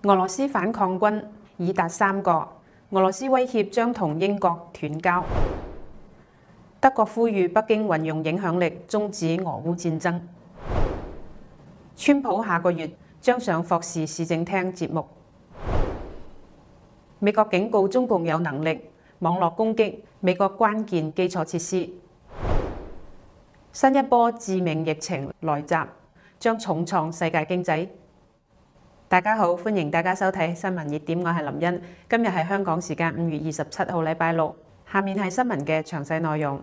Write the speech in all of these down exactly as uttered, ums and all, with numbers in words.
俄羅斯反抗軍已達三個，俄羅斯威脅將同英國斷交。德國呼籲北京運用影響力終止俄烏戰爭。川普下個月將上霍士市政廳節目。美國警告中共有能力網絡攻擊美國關鍵基礎設施。新一波致命疫情來襲，將重創世界經濟。大家好，歡迎大家收睇新聞熱點，我係林茵。今日係香港時間五月二十七號，禮拜六。下面係新聞嘅詳細內容。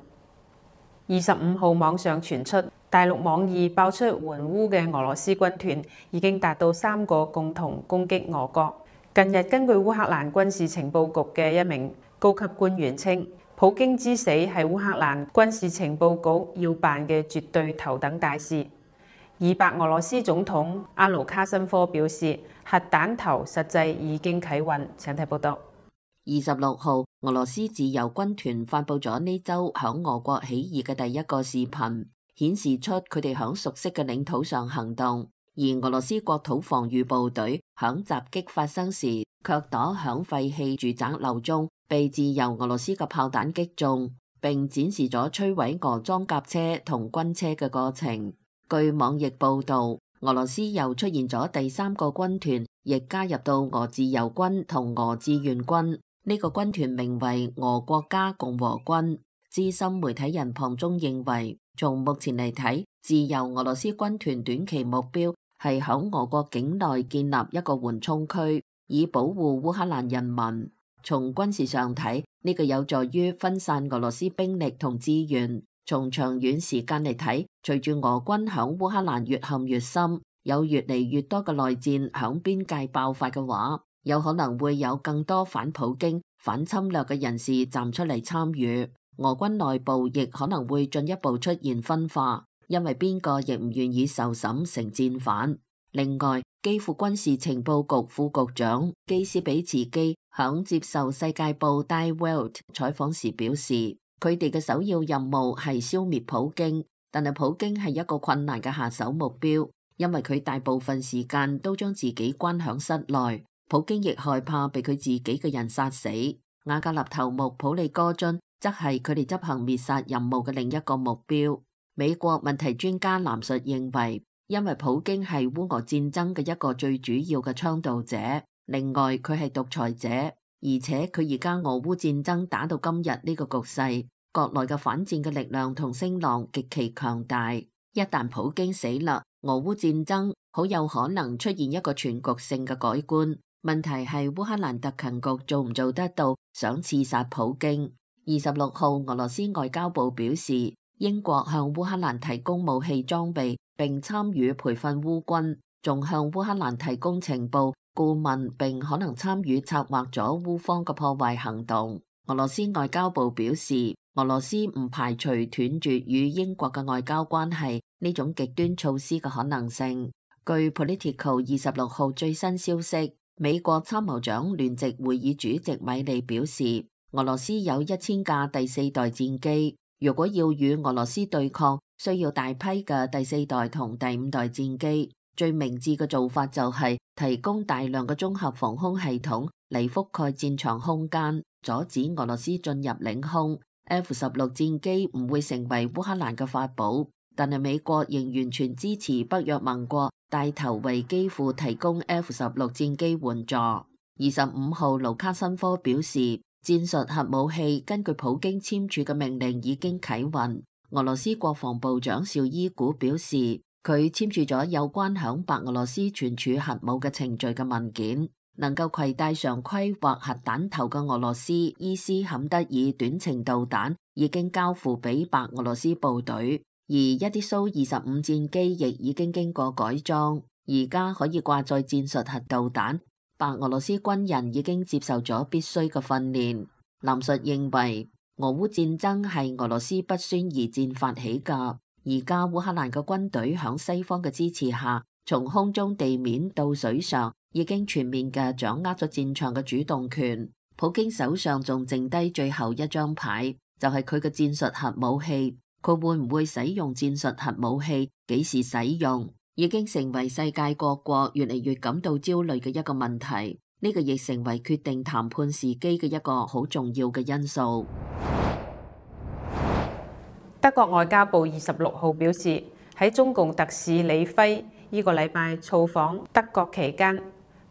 二十五號網上傳出，大陸網易爆出援烏嘅俄羅斯軍團已經達到三個，共同攻擊俄國。近日，根據烏克蘭軍事情報局嘅一名高級官員稱，普京之死係烏克蘭軍事情報局要辦嘅絕對頭等大事。而白俄羅斯總統阿盧卡申科表示，核彈頭實際已經啟運。請睇報道。二十六號，俄羅斯自由軍團發佈咗呢周響俄國起義嘅第一個視頻，顯示出佢哋響熟悉嘅領土上行動。而俄羅斯國土防禦部隊響襲擊發生時，卻躲響廢棄住宅樓中，被自由俄羅斯嘅炮彈擊中，並展示咗摧毀俄裝甲車同軍車嘅過程。據網易報道，俄羅斯又出現咗第三個軍團，亦加入到俄自由軍同俄志願軍。呢個軍團名為俄國家共和軍。資深媒體人龐中認為，從目前嚟睇，自由俄羅斯軍團短期目標係響俄國境內建立一個緩衝區，以保護烏克蘭人民。從軍事上睇，呢個有助於分散俄羅斯兵力同資源。從長遠時間嚟睇，隨住俄軍響烏克蘭越陷越深，有越嚟越多嘅內戰響邊界爆發嘅話，有可能會有更多反普京、反侵略嘅人士站出嚟參與。俄軍內部亦可能會進一步出現分化，因為邊個亦唔願意受審成戰犯。另外，基輔軍事情報局副局長基斯比茨基響接受世界報 Die Welt 採訪時表示，佢哋嘅首要任務係消滅普京，但係普京係一個困難嘅下手目標，因為佢大部分時間都將自己關響室內。普京亦害怕被佢自己嘅人殺死。瓦格納頭目普利戈津則係佢哋執行滅殺任務嘅另一個目標。美國問題專家藍述認為，因為普京係烏俄戰爭嘅一個最主要嘅倡導者，另外佢係獨裁者，而且佢而家俄烏戰爭打到今日呢個局勢，國內嘅反戰嘅力量同聲浪極其強大。一旦普京死啦，俄烏戰爭好有可能出現一個全局性嘅改觀。問題係烏克蘭特勤局做唔做得到想刺殺普京。二十六號，俄羅斯外交部表示，英國向烏克蘭提供武器裝備，並參與培訓烏軍，仲向烏克蘭提供情報、顧問，並可能參與策劃咗烏方嘅破壞行動。俄羅斯外交部表示，俄羅斯唔排除斷絕與英國嘅外交關係呢種極端措施嘅可能性。據 Politico 二十六號最新消息，美國參謀長聯席會議主席米利表示，俄羅斯有一千架第四代戰機，如果要與俄羅斯對抗，需要大批嘅第四代同第五代戰機。最明智嘅做法就係提供大量嘅綜合防空系統嚟覆蓋戰場空間，阻止俄羅斯進入領空。F 十六戰機唔會成為烏克蘭嘅法寶，但係美國仍完全支持北約盟國帶頭為基輔提供 F 十六戰機援助。二十五號，盧卡申科表示，戰術核武器根據普京簽署嘅命令已經啟運。俄羅斯國防部長紹伊古表示，佢簽署咗有關響白俄羅斯存儲核武嘅程序嘅文件。能夠攜帶常規或核彈頭嘅俄羅斯伊斯坎德爾短程導彈已經交付俾白俄羅斯部隊，而一啲蘇二十五戰機亦已經經過改裝，而家可以掛載戰術核導彈。白俄羅斯軍人已經接受咗必須嘅訓練。藍述認為，俄烏戰爭係俄羅斯不宣而戰發起㗎，而家烏克蘭嘅軍隊響西方嘅支持下，從空中、地面到水上，已經全面嘅掌握咗戰場嘅主動權。普京手上仲剩低最後一張牌，就係佢嘅戰術核武器。佢會唔會使用戰術核武器？幾時使用？已經成為世界各國越嚟越感到焦慮嘅一個問題。呢個亦成為決定談判時機嘅一個好重要嘅因素。德國外交部二十六號表示，喺中共特使李輝呢個禮拜造訪德國期間，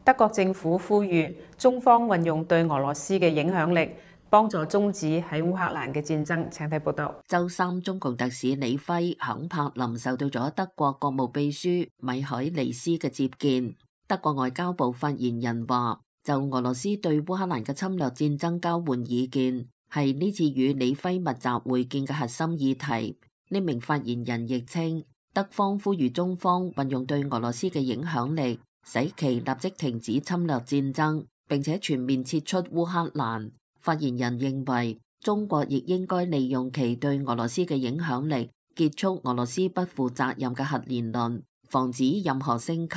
德國政府呼籲中方運用對俄羅斯嘅影響力，幫助終止喺烏克蘭嘅戰爭。請睇報道。週三，中共特使李輝響柏林受到咗德國國務秘書米海尼斯嘅接見。德國外交部發言人話，就俄羅斯對烏克蘭嘅侵略戰爭交換意見，係呢次與李輝密集會見嘅核心議題。呢名發言人亦稱，德方呼籲中方運用對俄羅斯嘅影響力，使其立即停止侵略戰爭，並且全面撤出烏克蘭。發言人認為，中國亦應該利用其對俄羅斯嘅影響力，結束俄羅斯不負責任嘅核言論，防止任何升級。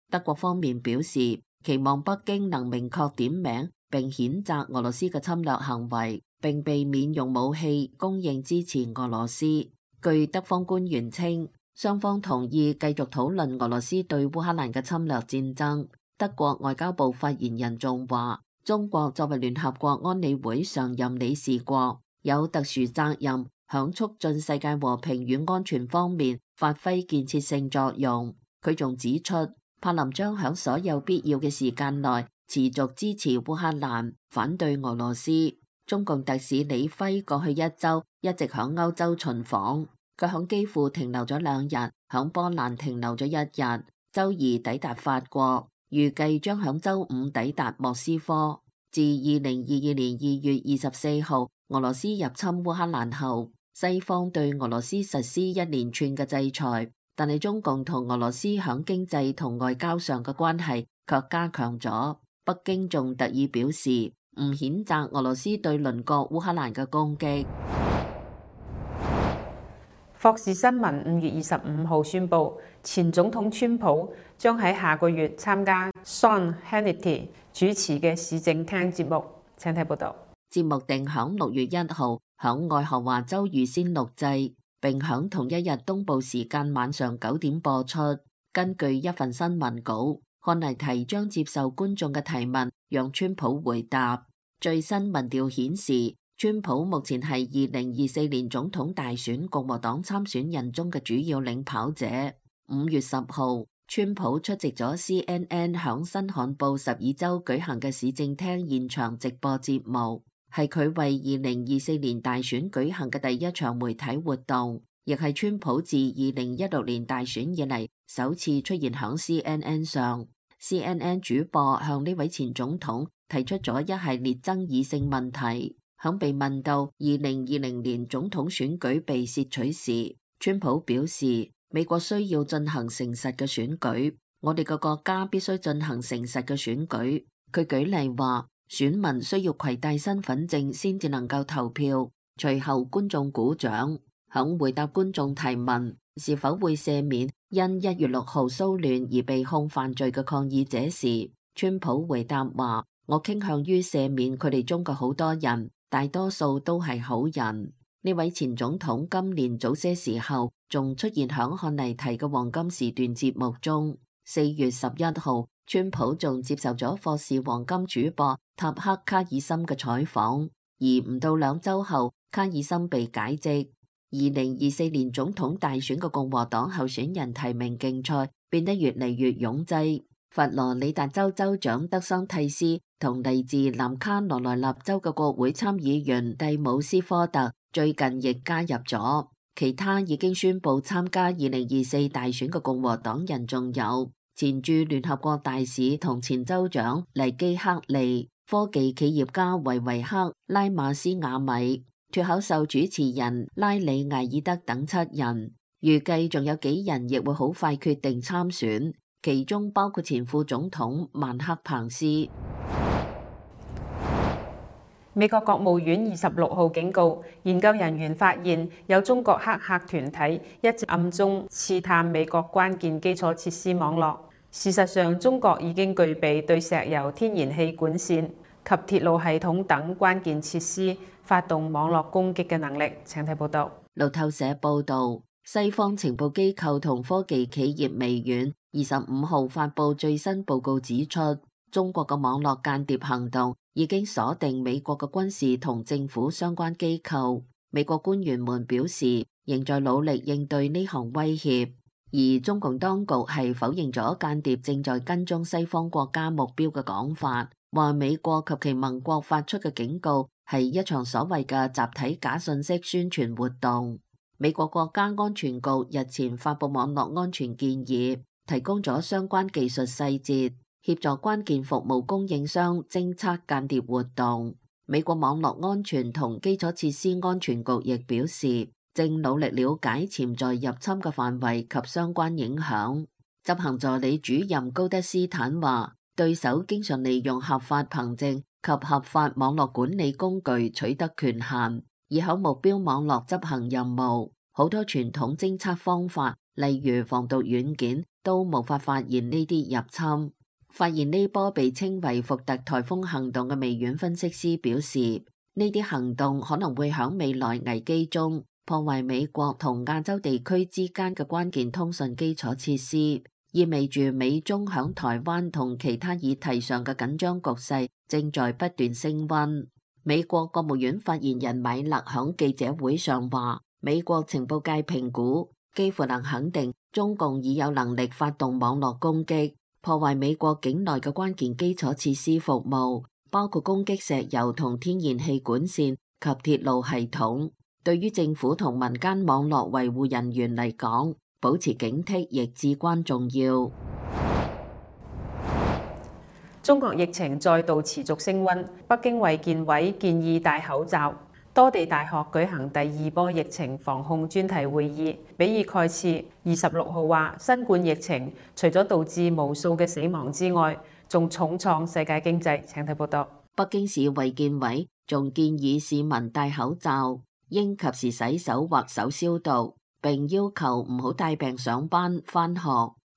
德國方面表示，期望北京能明確點名並譴責俄羅斯嘅侵略行為，並避免用武器供應支持俄羅斯。據德方官員稱，雙方同意繼續討論俄羅斯對烏克蘭嘅侵略戰爭。德國外交部發言人仲話，中國作為聯合國安理會常任理事國，有特殊責任響促進世界和平與安全方面發揮建設性作用。佢仲指出，柏林將響所有必要嘅時間內持續支持烏克蘭，反對俄羅斯。中共特使李輝過去一周一直響歐洲巡訪，佢響基輔停留咗兩日，響波蘭停留咗一日，周二抵達法國，預計將響周五抵達莫斯科。自二零二二年二月二十四號俄羅斯入侵烏克蘭後，西方對俄羅斯實施一連串嘅制裁。但係中共同俄羅斯響經濟同外交上嘅關係卻加強咗。北京仲特意表示唔譴責俄羅斯對鄰國烏克蘭嘅攻擊。霍士新聞五月二十五號宣布，前總統川普將喺下個月參加 Sean Hannity 主持嘅市政廳節目。請睇報道。節目定響六月一號響愛荷華州預先錄製，並響同一日東部時間晚上九點播出。根據一份新聞稿，漢尼提將接受觀眾嘅提問，讓川普回答。最新民調顯示，川普目前係二零二四年總統大選共和黨參選人中嘅主要領跑者。五月十號，川普出席咗 C N N 響新罕布什爾州舉行嘅市政廳現場直播節目，係佢為二零二四年大選舉行嘅第一場媒體活動，亦係川普自二零一六年大選以嚟首次出現響 C N N 上。C N N 主播向呢位前總統提出咗一系列爭議性問題。響被問到二零二零年總統選舉被竊取時，川普表示美國需要進行誠實嘅選舉，我哋個國家必須進行誠實嘅選舉。佢舉例話，選民需要攜帶身份證先至能夠投票。隨後觀眾鼓掌。響回答觀眾提問是否會赦免因一月六號騷亂而被控犯罪嘅抗議者時，川普回答話，我傾向於赦免佢哋中嘅好多人，大多數都係好人。呢位前總統今年早些時候仲出現響漢尼提嘅黃金時段節目中。四月十一號，川普仲接受咗霍士黃金主播塔克卡爾森嘅採訪，而唔到兩週後，卡爾森被解職。二零二四年總統大選嘅共和黨候選人提名競賽變得越嚟越擁擠。佛羅里達州州長德桑蒂斯同嚟自南卡羅來納州嘅國會參議員蒂姆斯科特最近亦加入咗。其他已經宣布參加二零二四大選嘅共和黨人仲有前駐聯合國大使同前州長黎基克利、科技企業家維維克、拉馬斯瓦米、脫口秀主持人拉里艾爾德等七人。預計仲有幾人亦會好快決定參選，其中包括前副總統曼克彭斯。美國國務院二十六號警告，研究人員發現有中國黑客團體一直暗中刺探美國關鍵基礎設施網絡。事實上，中國已經具備對石油、天然氣管線及鐵路系統等關鍵設施發動網絡攻擊嘅能力。請睇報道。路透社報導，西方情報機構同科技企業微軟二十五號發布最新報告指出，中國嘅網絡間諜行動已經鎖定美國嘅軍事同政府相關機構。美國官員們表示，仍在努力應對呢項威脅，而中共當局係否認咗間諜正在跟蹤西方國家目標嘅講法，話美國及其盟國發出嘅警告係一場所謂嘅集體假信息宣傳活動。美國國家安全局日前發布網絡安全建議，提供咗相關技術細節，協助關鍵服務供應商偵測間諜活動。美國網絡安全同基礎設施安全局亦表示，正努力了解潛在入侵嘅範圍及相關影響。執行助理主任高德斯坦話，對手經常利用合法憑證及合法網絡管理工具取得權限，以響目標網絡執行任務。好多傳統偵測方法，例如防毒軟件，都無法發現呢啲入侵。發現呢波被稱為福特颱風行動嘅微軟分析師表示，呢啲行動可能會響未來危機中破壞美國同亞洲地區之間嘅關鍵通訊基礎設施，意味住美中響台灣同其他議題上嘅緊張局勢正在不斷升溫。美國國務院發言人米勒響記者會上話，美國情報界評估幾乎能肯定中共已有能力發動網絡攻擊，破壞美國境內嘅關鍵基礎設施服務，包括攻擊石油同天然氣管線及鐵路系統。對於政府同民間網絡維護人員嚟講，保持警惕亦至關重要。中國疫情再度持續升溫，北京衛健委建議戴口罩。多地大學舉行第二波疫情防控專題會議，比爾蓋茨二十六號話，新冠疫情除咗導致無數嘅死亡之外，仲重創世界經濟。請睇報道。北京市衛健委仲建議市民戴口罩，應及時洗手或手消毒，並要求唔好帶病上班返學。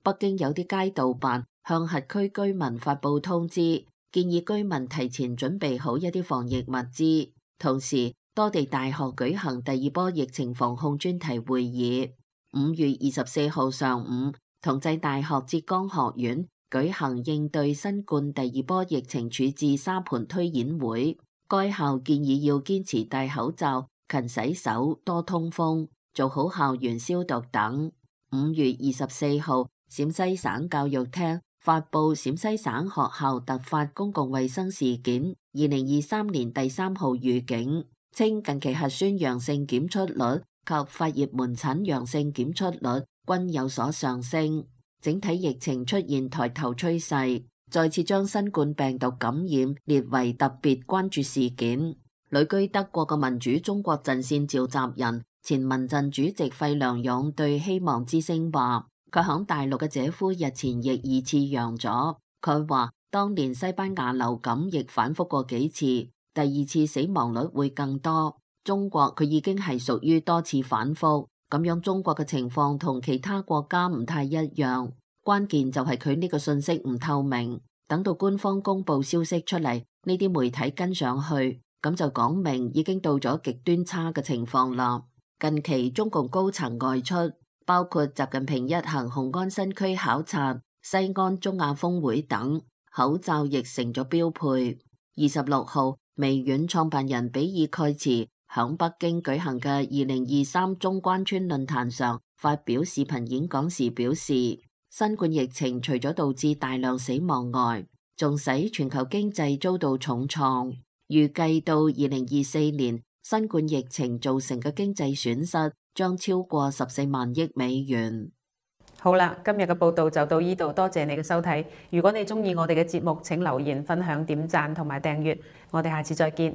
北京有啲街道辦向轄區居民發佈通知，建議居民提前準備好一啲防疫物資。同時，多地大學舉行第二波疫情防控專題會議。五月二十四號上午，同濟大學浙江學院舉行應對新冠第二波疫情處置沙盤推演會。該校建議要堅持戴口罩、勤洗手、多通風、做好校園消毒等。五月二十四號，陝西省教育廳發布陝西省學校突發公共衛生事件二零二三年第三號預警，稱近期核酸陽性檢出率及發熱門診陽性檢出率均有所上升，整體疫情出現抬頭趨勢，再次將新冠病毒感染列為特別關注事件。旅居德國嘅民主中國陣線召集人、前民陣主席費良勇對希望之聲話，佢響大陸嘅姐夫日前亦二次陽咗。佢話當年西班牙流感亦反覆過幾次，第二次死亡率會更多。中國佢已經係屬於多次反覆，咁樣中國嘅情況同其他國家唔太一樣。關鍵就係佢呢個信息唔透明，等到官方公布消息出嚟，呢啲媒體跟上去，咁就講明已經到咗極端差嘅情況啦。近期中共高層外出，包括習近平一行雄安新區考察、西安中亞峰會等，口罩亦成咗標配。二十六號，微軟創辦人比爾蓋茨響北京舉行嘅二零二三中關村論壇上發表視頻演講時表示，新冠疫情除咗導致大量死亡外，仲使全球經濟遭到重創。預計到二零二四年，新冠疫情造成嘅經濟損失將超過十四萬億美元。好啦，今日嘅報道就到呢度，多謝你嘅收睇。如果你中意我哋嘅節目，請留言、分享、點讚同埋訂閱。我哋下次再見。